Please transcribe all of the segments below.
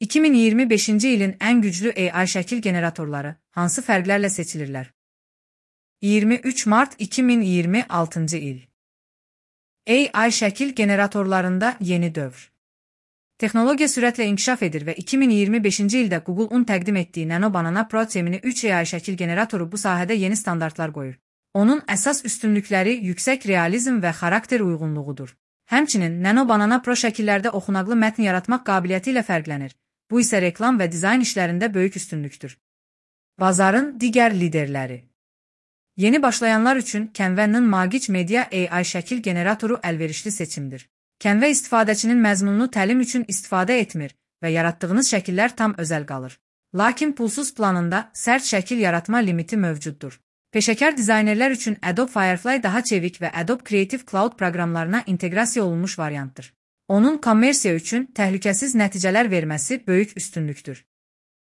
2025-ci ilin ən güclü AI şəkil generatorları hansı fərqlərlə seçilirlər? 23 mart 2026-cı il. AI şəkil generatorlarında yeni dövr. Texnologiya sürətlə inkişaf edir və 2025-ci ildə Google-un təqdim etdiyi Nano Banana Pro Gemini 3 AI şəkil generatoru bu sahədə yeni standartlar qoyur. Onun əsas üstünlükləri yüksək realizm və xarakter uyğunluğudur. Həmçinin Nano Banana Pro şəkillərdə oxunaqlı mətn yaratmaq qabiliyyəti ilə fərqlənir. Bu isə reklam və dizayn işlərində böyük üstünlükdür. Bazarın digər liderləri. Yeni başlayanlar üçün Canva'nın Magic Media AI şəkil generatoru əlverişli seçimdir. Canva istifadəçinin məzmununu təlim üçün istifadə etmir və yaratdığınız şəkillər tam özəl qalır. Lakin pulsuz planında sərt şəkil yaratma limiti mövcuddur. Peşəkar dizaynerlər üçün Adobe Firefly daha çevik və Adobe Creative Cloud proqramlarına inteqrasiya olunmuş variantdır. Onun kommersiya üçün təhlükəsiz nəticələr verməsi böyük üstünlükdür.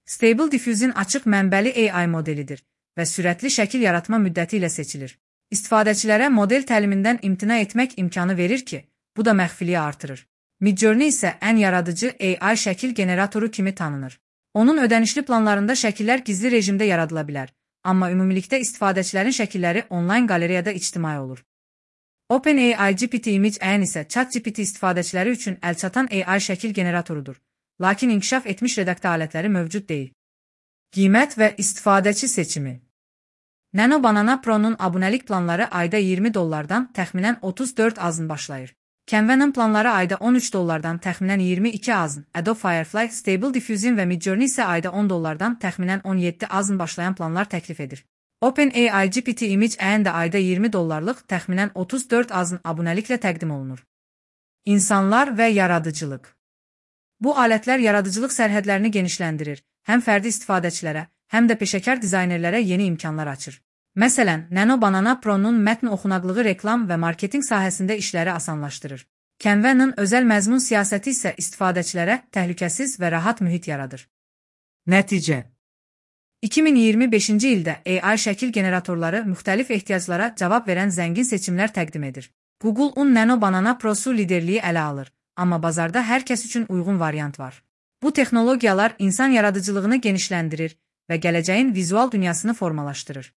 Stable Diffusion açıq mənbəli AI modelidir və sürətli şəkil yaratma müddəti ilə seçilir. İstifadəçilərə model təlimindən imtina etmək imkanı verir ki, bu da məxfiliyi artırır. Midjourney isə ən yaradıcı AI şəkil generatoru kimi tanınır. Onun ödənişli planlarında şəkillər gizli rejimdə yaradıla bilər, amma ümumilikdə istifadəçilərin şəkilləri onlayn qalereyada ictimai olur. OpenAI GPT Image N isə ChatGPT istifadəçiləri üçün əlçatan AI şəkil generatorudur, lakin inkişaf etmiş redaktə alətləri mövcud deyil. Qiymət və istifadəçi seçimi. Nano Banana Pro'nun abunəlik planları ayda $20-dan təxminən 34 azın başlayır. Canva'nın planları ayda $13-dan təxminən 22 azın, Adobe Firefly, Stable Diffusion və Midjourney isə ayda $10-dan təxminən 17 azın başlayan planlar təklif edir. OpenAI GPT Image N də ayda $20-lıq təxminən 34 azın abunəliklə təqdim olunur. İnsanlar və yaradıcılıq. Bu alətlər yaradıcılıq sərhədlərini genişləndirir, həm fərdi istifadəçilərə, həm də peşəkar dizaynerlərə yeni imkanlar açır. Məsələn, Nano Banana Pro'nun mətn oxunaqlığı reklam və marketinq sahəsində işləri asanlaşdırır. Canva'nın özəl məzmun siyasəti isə istifadəçilərə təhlükəsiz və rahat mühit yaradır. Nəticə. 2025-ci ildə AI şəkil generatorları müxtəlif ehtiyaclara cavab verən zəngin seçimlər təqdim edir. Google-un Nano Banana Pro-su liderliyi ələ alır, amma bazarda hər kəs üçün uyğun variant var. Bu texnologiyalar insan yaradıcılığını genişləndirir və gələcəyin vizual dünyasını formalaşdırır.